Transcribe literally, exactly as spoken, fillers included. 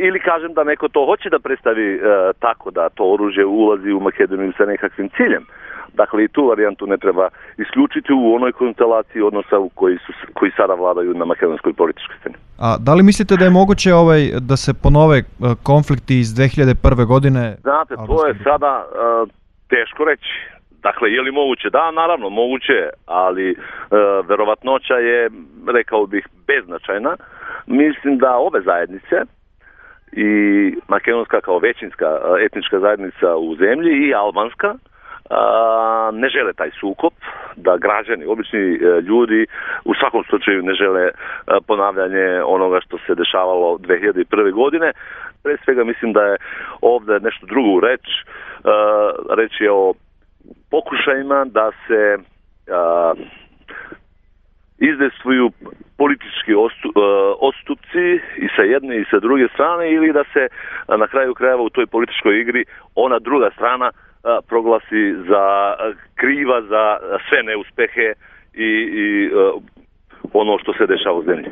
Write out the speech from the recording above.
ili kažem da neko to hoće da predstavi uh, tako da to oružje ulazi u Makedoniju sa nekakvim ciljem. Dakle, i tu varijantu ne treba isključiti u onoj konstelaciji odnosa u koji, su, koji sada vladaju na makedonskoj političkoj sceni. A da li mislite da je moguće ovaj, da se ponove konflikti iz dve hiljade prve godine? Znate, to je sada uh, teško reći. Dakle, je li moguće? Da, naravno, moguće, ali uh, verovatnoća je, rekao bih, beznačajna. Mislim da ove zajednice i makedonska kao većinska etnička zajednica u zemlji i albanska a, ne žele taj sukob, da građani, obični ljudi u svakom slučaju ne žele ponavljanje onoga što se dešavalo dve hiljade prve godine. Pre svega mislim da je ovde nešto drugo u reč. A, reč je o pokušajima da se a, izdejstvuju politički odstupci i sa jedne i sa druge strane ili da se na kraju krajeva u toj političkoj igri ona druga strana proglasi za kriva za sve neuspehe i, i ono što se dešava u zemlji.